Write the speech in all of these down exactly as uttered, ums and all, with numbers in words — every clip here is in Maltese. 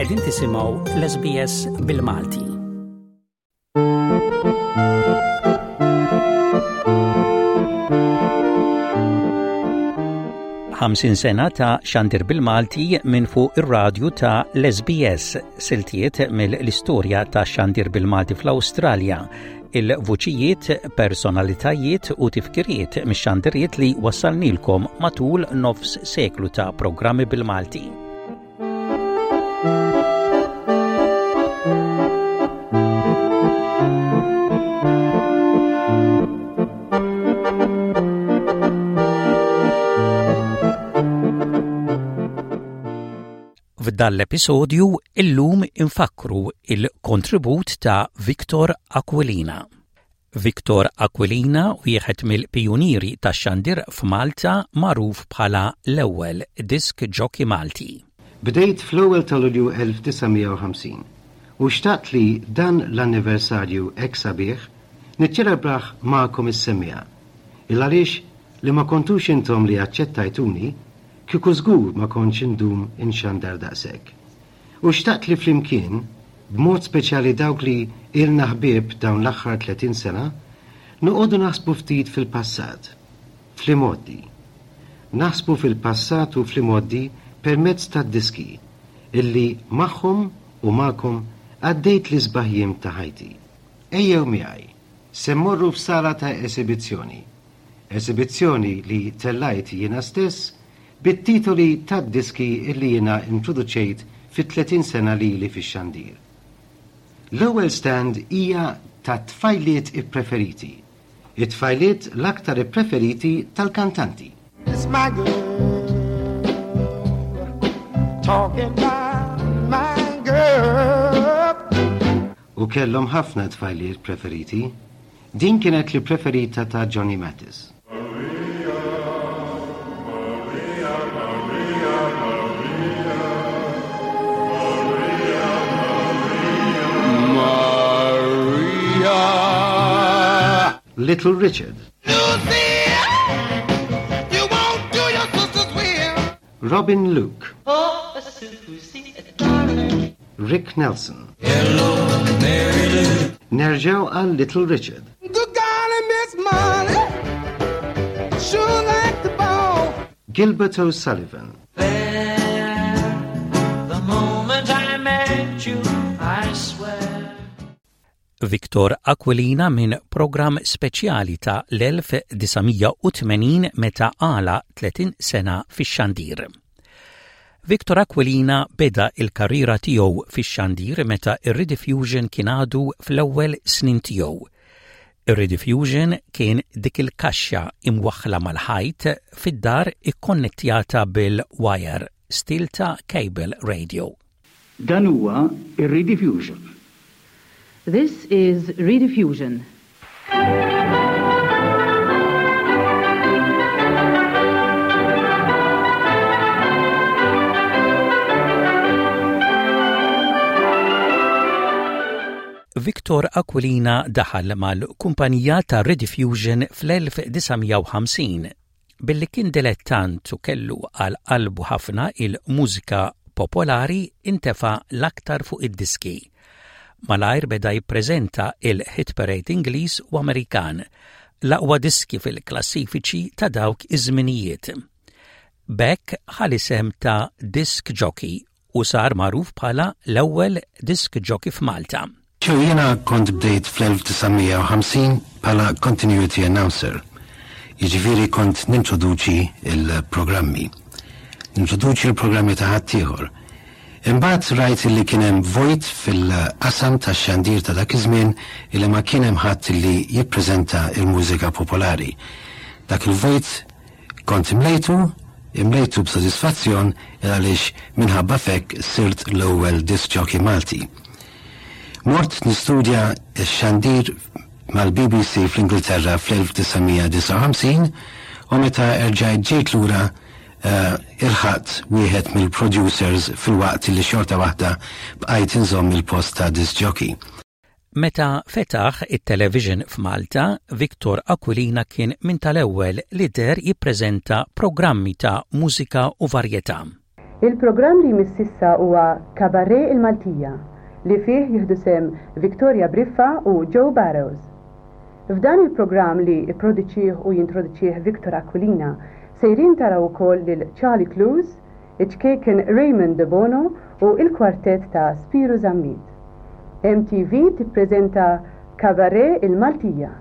Qegħdin tisimgħu l-S B S bil-Malti. Ħamsin sena ta' xandir bil-Malti minn fuq ir-radju ta' l-S B S, siltiet mill-istorja ta' xandir bil-Malti fl-Awstralja, il-vuċijiet, personalitajiet u tifkiriet mix-xandiriet li wassalnilkom matul nofs seklu ta' programmi bil-Malti. F'dan l-episodju illum infakru il-kontribut ta' Victor Aquilina. Victor Aquilina, wieħed mill-pijunieri tax-xandir f'Malta, magħruf bħala l-ewwel disc jockey Malti. Bdejt fl-ewwel ta' Lulju elf disa' mija u ħamsin u xtaqt li dan l-anniversarju hekk sabiħ niċċelebrah magħkom is-semmiegħa. Il għaliex li ma kontux intom li aċċettajtuni, kieku żgur ma kontx indum inxandar daqshekk. U xtaqt li flimkien, b'mod speċjali dawk li ilna ħbieb dawn l-aħħar tletin sena, noqogħdu naħsbu ftit fil-passat, fl-imgħoddi. Naħsbu fil-passat u fl-imgħoddi permezz tad-diski illi magħhom u magħkom għaddejt l-isbaħ jiem ta' ħajti. Ejjew miegħi, se mmorru f'sala ta' esibizzjoni. Esibizzjoni li tellajt jiena stess bit-titoli tad-diski illi jiena introduċejt fit-tletin sena li li fix-xandir. L-ewwel stand hija ta' tfajliet ippreferiti. It-tfajliet l-aktar ippreferiti tal-kantanti. It's my girl, talking about my girl. U kellhom ħafna tfajliet preferiti. Din kienet li preferita ta' Johnny Mathis. Maria, Maria, Maria, Maria, Maria, Maria. Little Richard, Lucy, you won't do your sister's will. Robin Luke, Oh, Susie, darling. Rick Nelson. Hello, Mary Lou. Nerġaw għal Little Richard. Good golly, Miss Molly, sure like the ball. Gilbert O'Sullivan, There, the moment I met you, I swear. Victor Aquilina minn program speċjali ta' l-elf disa' mija u tmenin meta għalaq tletin sena fix-xandir. Victor Aquilina beda il-karriera tiegħu fix-xandir meta ir-Rediffusion kien għadu fl-ewwel snin tiegħu. Ir-Rediffusion kien dik il-kaxxa imwaħħla mal-ħajt fid-dar ikkonnettjata bil-wire, stil ta' cable radio. Dan huwa ir-Rediffusion. This is Rediffusion. Victor Aquilina daħal mal-kumpanija ta' Rediffusion fl-elf disa' mija u ħamsin. Billi kien dilettant u kellu għal qalbu ħafna il-mużika popolari, intefa l-aktar fuq id-diski. Malajr beda jippreżenta il-hit parade Ingliż u Amerikan, l-aqwa diski fil-klassifiċi ta' dawk iż-żminijiet. B'hekk ħa l-isem ta' disc jockey u sar magħruf bħala l-ewwel disc jockey f'Malta. Ċew, jiena kont bdejt fl-elf disa' mija u ħamsin bħala continuity announcer. Jiġifieri kont nintroduċi il-programmi. Nintroduċi il-programmi ta' ħaddieħor. Imbagħad rajt li kien hemm vojt fil-qasam tax-xandir ta' dak iż-żmien, illi ma kien hemm ħadd li jippreżenta il-mużika popolari. Dak il-vojt kont imlejtu, imlejtu b'sodisfazzjon, għaliex minħabba fek sirt l-ewwel disc jockey Malti. Mort nistudja x-xandir mal-B B C fl-Ingilterra fl-elf disa' mija u disgħa u ħamsin u meta erġajt ġejt lura uh, ilħaqt wieħed mill-producers, filwaqt li xorta waħda bqajt inżomm il-post ta' disc jockey. Meta fetaħ it-television f'Malta, Victor Aquilina kien minn tal-ewwel li deher jippreżenta programmi ta' mużika u varjetà. Il-programm li jmiss issa huwa Cabaret il-Maltija li fih jieħdu sehem Victoria Briffa u Joe Barrows. F'dan il-programm li ipproduċih u jintroduċih Victor Aquilina sejrin taraw ukoll lil Charlie Clues, iċ-ċkejken Raymond De Bono u il-kwartett ta' Spiru Zammit. M T V tippreżenta Cabaret il-Maltija.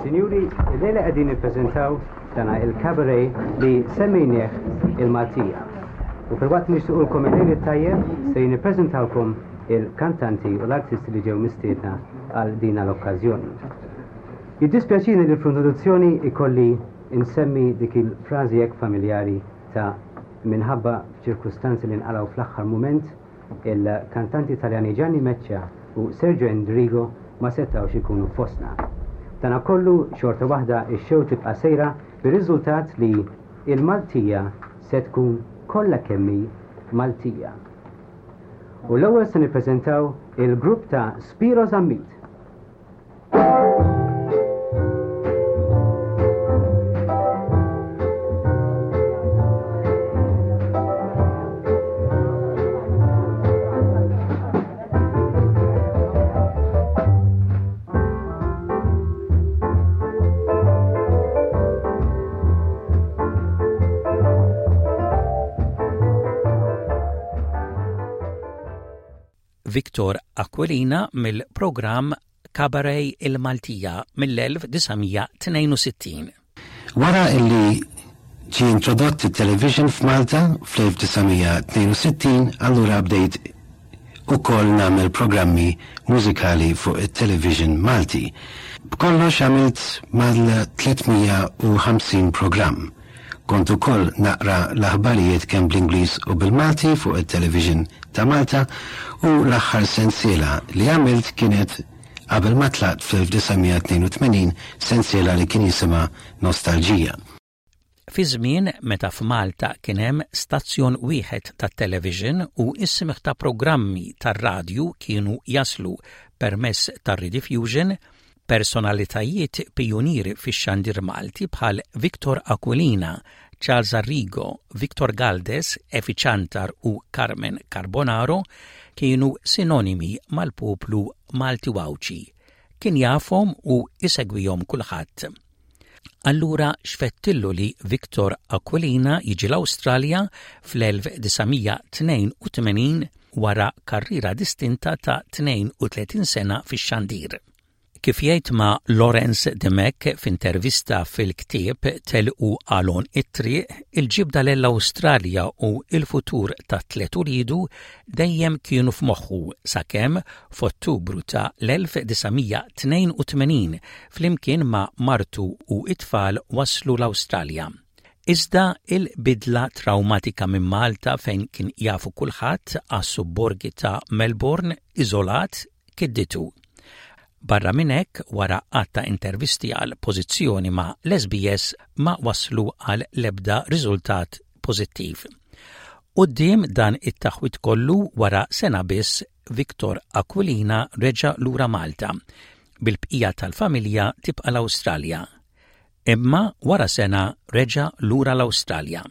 Sinjuri, illejla qegħdin nippreżentaw dana il-cabaret li semmejnieh il-Maltija. U filwaqt nixtiqulkom il-lejl it-tajjeb, se nippreżentawkom il-kantanti u l-artisti li ġew mistiedna għal dina l-okkażjoni. Jiddispjaċini li fl-introduzzjoni ikolli insemmi dik il-frażi hekk familjari ta' minħabba ċirkustanzi li nqalgħu fl-aħħar mument, il-kantanti Taljani Gianni Meccia u Sergio Endrigo ma setawx ikunu fostna. Dana kollu, xorta waħda ix-show tibqa' sejra, bir-riżultat li il-Maltija se tkun kollha kemm hi Maltija. U l-ewwel se nippreżentaw il-grupp ta' Spiro Zammit. Victor Aquilina mill-programm Cabaret il-Maltija mill-elf disa' mija tnejn u sittin. Wara illi ġie introdott il-television f'Malta fl-elf disa' mija tnejn u sittin, allura bdejt ukoll nagħmel programmi mużikali fuq it-television Malti. B'kollox għamilt mal-tliet mija u ħamsin programm. Kont ukoll naqra l-aħbarijiet kemm bl-Ingliż u bil-Malti fuq it-television ta' Malta u l-aħħar sensiela li għamilt kienet qabel ma tlaqt fl-elf disa' mija tnejn u tmenin, sensiela li kien jisimha Nostalġija. Fi żmien meta f'Malta kien hemm stazzjon wieħed tat-television u is-smigħ ta' programmi tar-radju kienu jaslu permezz tar-Rediffusion, personalitajiet pijunieri fix-xandir Malti bħal Victor Aquilina, Charles Arrigo, Victor Galdes, Efi Ciantar u Carmen Carbonaro kienu sinonimi mal-poplu Malti Għawdxi. Kien jafhom u isegwihom kulħadd. Allura x'fettillu li Victor Aquilina jiġi l-Awstralja fl-elf disa' mija tnejn u tmenin wara karriera distinta ta' tnejn u tletin sena fix-xandir? Kif jgħid ma' Lawrence Dimech f'intervista fil-ktieb Telqu għal Għonq it-Triq, il-ġibda l-Awstralja u il-futur ta' tliet uliedu dejjem kienu f'moħħu sakemm f'Ottubru ta' l-elf disa' mija tnejn u tmenin flimkien ma' martu u it-tfal waslu l-Awstralja. Iżda il-bidla traumatika minn Malta, fejn kien jafu kulħadd, għas-subborgi ta' Melbourne iżolat kidditu. Barra minn hekk, wara għadd ta' intervisti għal pożizzjoni ma' l-S B S ma waslu għal lebda riżultat pożittiv. Quddiem dan it-taħwit kollu, wara sena biss Victor Aquilina reġa' lura Malta, bil-bqija tal-familja tibqa' l-Awstralja. Imma wara sena reġa' lura l-Awstralja.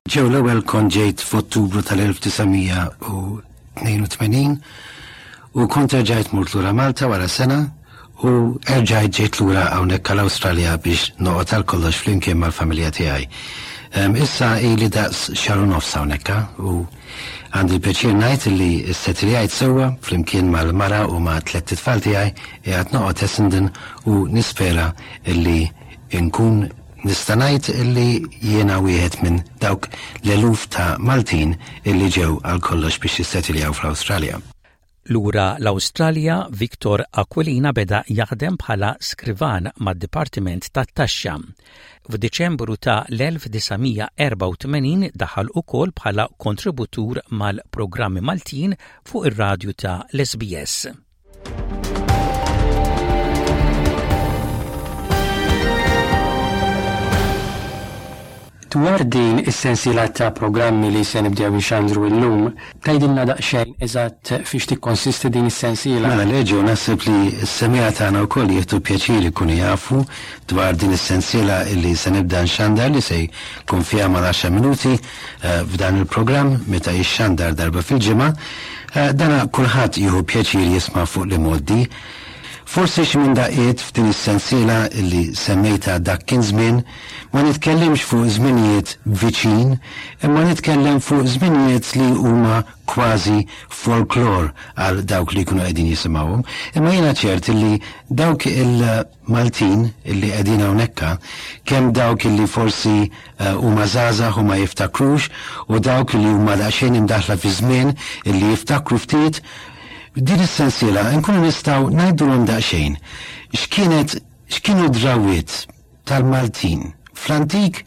Ġew l-ewwel kont ġejt f'Ottubru tal-elf disa' mija tnejn u tmenin u kont erġajt mort lura Malta wara sena u erġajt ġejt lura hawnhekk għall-Awstralja biex noqgħod għal kollox flimkien mal-familja tiegħi. Um, issa ili daqs xahar u nofs hawnhekk u għandi l-pjaċir ngħid li ssettiljajt sewwa flimkien mal-mara u ma' tlett itfal tiegħi, qiegħed noqgħod Essendon u nispera illi nkun nista' ngħid illi jiena wieħed minn dawk l-eluf ta' Maltin illi ġew għal kollox biex jissettiljaw fl-Awstralja. Lura l-Awstralja, Victor Aquilina beda jaħdem bħala skrivan mad-Dipartiment tat-Taxxa. F'Diċembru ta' l-elf disa' mija erbgħa u tmenin daħal ukoll bħala kontributur mal-programmi Maltin fuq ir-radju ta' l-S B S. Dwar din is-sensiela ta' programmi li se nibdew inxandru illum, tgħidilna daqsxejn eżatt fiex tikkonsisti din is-sensiela? Mela leġu, naħseb li s-semmiegħa tagħna wkoll jieħdu pjaċir ikunu jafu dwar din is-sensiela li se nibda nxandar li se jkun fiha mal-għaxar minuti, eh, f'dan il-programm meta jixxandar darba fil-ġimgħa. Eh, dana kulħadd jieħu pjaċir jisma' fuq li mgħoddi. Forsi xi minn daqqiet f'din is-sensiela li semmejta dak kien żmien, ma nitkellimx fuq żminijiet viċin, imma nitkellem fuq żminijiet li huma kważi folklor għal dawk li jkunu qegħdin jisimgħuhom. Imma jiena ċert li dawk il-Maltin illi qegħdin hawnhekk, kemm dawk illi forsi, eh, huma żgħażagħ u ma jiftakrux, u dawk li huma daqsxejn imdaħla fi żmien illi jiftakru ftit, din is-sensiela nkunu nistgħu ngħidulhom daqsxejn x'kienet, x'kienu d-drawwiet tal-Maltin fl-antik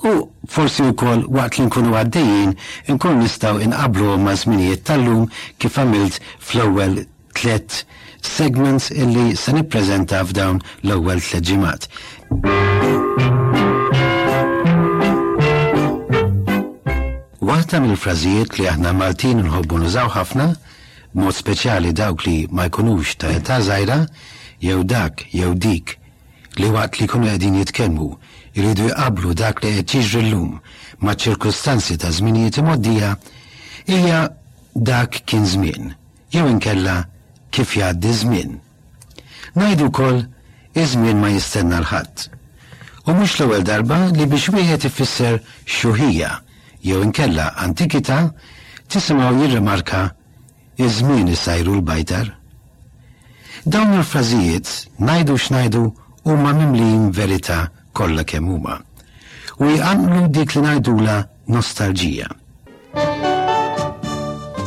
u forsi wkoll waqt li nkunu għaddejjin nkunu nistgħu inqabbluhom ma' żminijiet tal-lum kif għamilt fl-ewwel tliet segments illi se nippreżenta f'dawn l-ewwel tliet ġimgħat. Waħda mill-frażijiet li aħna Maltin nħobbu nużaw ħafna, b'mod speċjali dawk li ma jkunux ta' età żgħira, jew dak jew dik li waqt li jkunu qegħdin jitkellmu jridu jqabblu dak li qed jiġri llum ma' ċirkustanzi ta' żminijiet imgħoddija, hija dak kien żmien, jew inkella kif jgħaddi żmien. Ngħidu wkoll iż-żmien ma jistenna l-ħadd. U mhux l-ewwel darba li biex wieħed ifisser xuħija jew inkella antikità tisimgħu jirrimarka iż-żmien isajru l-bajtar. Dawn il-frażijiet ngħidu x'ngħidu huma mimlijin verità kollha kemm huma u jqanqlu dik li ngħidula nostalġija.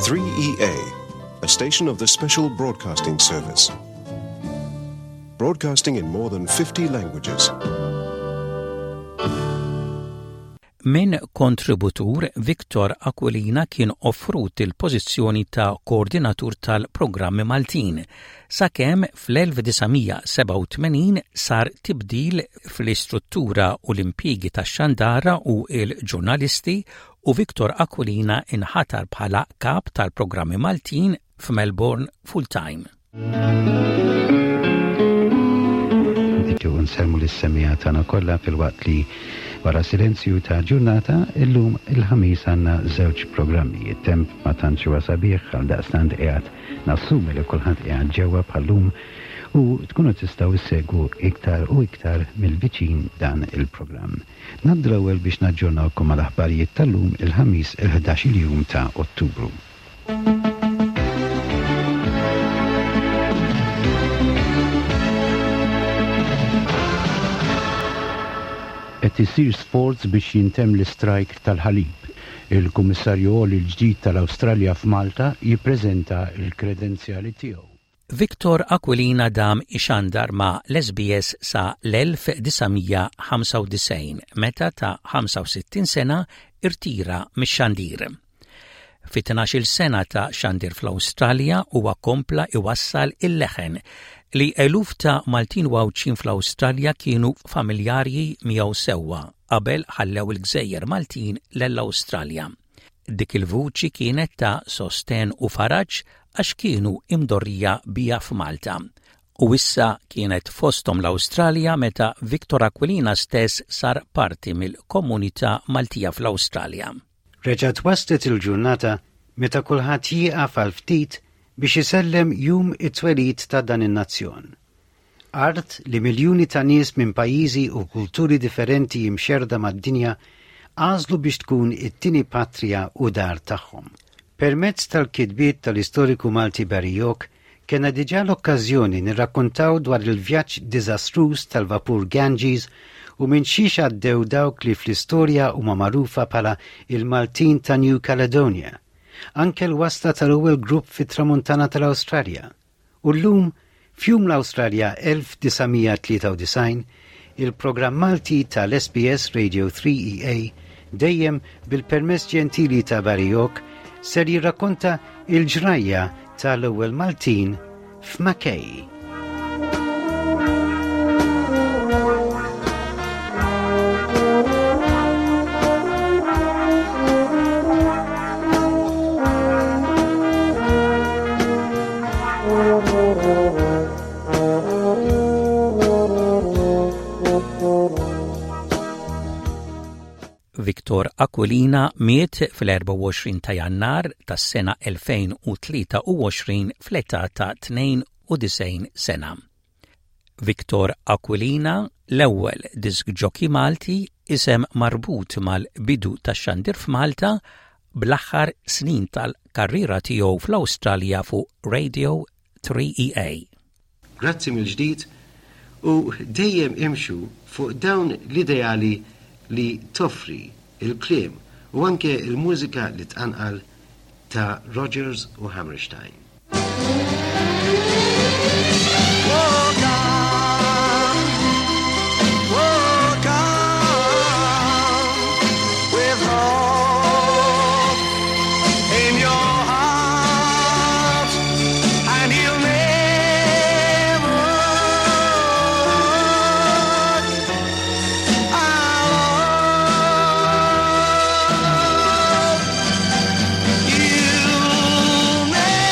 three E A, a station of the Special Broadcasting Service. Broadcasting in more than fifty languages. Min kontributur Victor Aquilina kien offrut il-pożizzjoni ta' koordinatur tal-programmi Maltin, sakemm fl-elf disa' mija sebgħa u tmenin sar tibdil fl-istruttura u l-impjiegi tax-xandara u l-ġurnalisti u Victor Aquilina inħatar bħala kap tal-programmi Maltin f'Melbourne full-time. Nixtiequ nsellmu lis-semmiegħa tagħna kollha filwaqt li wara silenzju ta' ġurnata illum il-ħamis għandna żewġ programmi. It-temp ma tantx huwa sabiħ għal daqstant qiegħed nassumi li kulħadd qiegħed ġewwa bħallum u tkunu tistgħu issegwu iktar u iktar mill-viċin dan il-programm. Ngħaddu l-ewwel biex naġġornawkom mal-aħbarijiet tal-lum il-ħamis il-ħdax-il jum ta' Ottubru. Qed isir sforz biex jintemm l-istrajk tal-ħalib. Il-Kummissarju Għoli l-ġdid tal-Awstralja f'Malta jippreżenta l-kredenzjali tiegħu. Victor Aquilina dam ixandar ma' l-S B S sa l-elf disa' mija ħamsa u disgħin meta ta' ħamsa u sittin sena irtira mix-xandir. Fi tnax-il sena ta' xandir fl-Awstralja huwa kompla iwassal il-leħen li eluf ta' Maltin u Għawdxin fl-Awstralja kienu familjarji miegħu sewwa qabel ħallew il-Gżejjer Maltin lill-Awstralja. Dik il-vuċi kienet ta' sosten u faraġ għax kienu imdorrija bija f'Malta. U issa kienet fosthom l-Awstralja meta Victor Aquilina stess sar parti mill-komunità Maltija fl-Awstralja. Reġgħet waslet il-ġurnata meta kulħadd jieqaf għal ftit biex isellem jum it-twelid ta' dan in-nazzjon. Art li miljuni ta' nies minn pajjiżi u kulturi differenti jimxerda mad-dinja għażlu biex tkun it-tieni patrija u dar tagħhom. Permezz tal-kitbiet tal-istoriku Malti Barry York, kena diġà l-okkażjoni nirrakkontaw dwar il-vjaġġ diżastruż tal-vapur Ganges u minn xiex għaddew dawk li fl-istorja huma magħrufa bħala il-Maltin ta' New Caledonia Anke l-wasla tal-ewwel grupp fit-Tramuntana tal-Awstralja. U llum, f'Jum l-Awstralja elf disa' mija tlieta u disgħin, il-programm Malti tal-S B S Radio three E A, dejjem bil-permess ġentili ta' Barry York, ser jirrakkonta il-ġrajja tal-ewwel Maltin f'Mackay. Victor Aquilina miet fl-erbgħa u għoxrin ta' Jannar tas-sena elfejn u tlieta u għoxrin fl-età ta' tnejn u disgħin sena. Victor Aquilina, l-ewwel disc jockey Malti, isem marbut mal-bidu tax-xandir f'Malta bl-aħħar snin tal-karriera tiegħu fl-Awstralja fuq Radio three E A. Grazzi mill-ġdid u dejjem imxu fuq dawn l-ideali li toffri il-kliem u anke il-mużika li tqanqal ta' Rodgers u Hammerstein. Walk on, walk on with hope in your heart, and you'll never walk alone. You'll never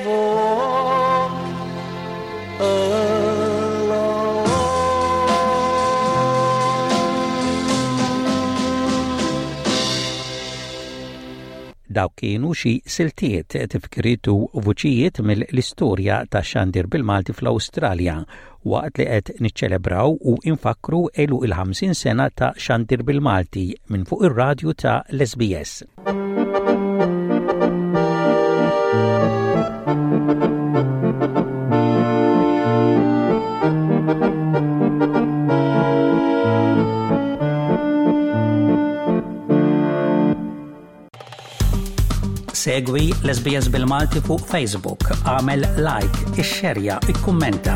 walk alone. Dawk kienu xi siltiet, tifkiriet u vuċijiet mill-istorja ta' xandir bil-Malti fl-Awstralja waqt li qed niċċelebraw u infakru għeluq il-ħamsin sena ta' xandir bil-Malti minn fuq ir-radju ta' l-S B S. Segwi l-S B S bil-Malti fuq Facebook, għamel like, ixxerja, ikkummenta.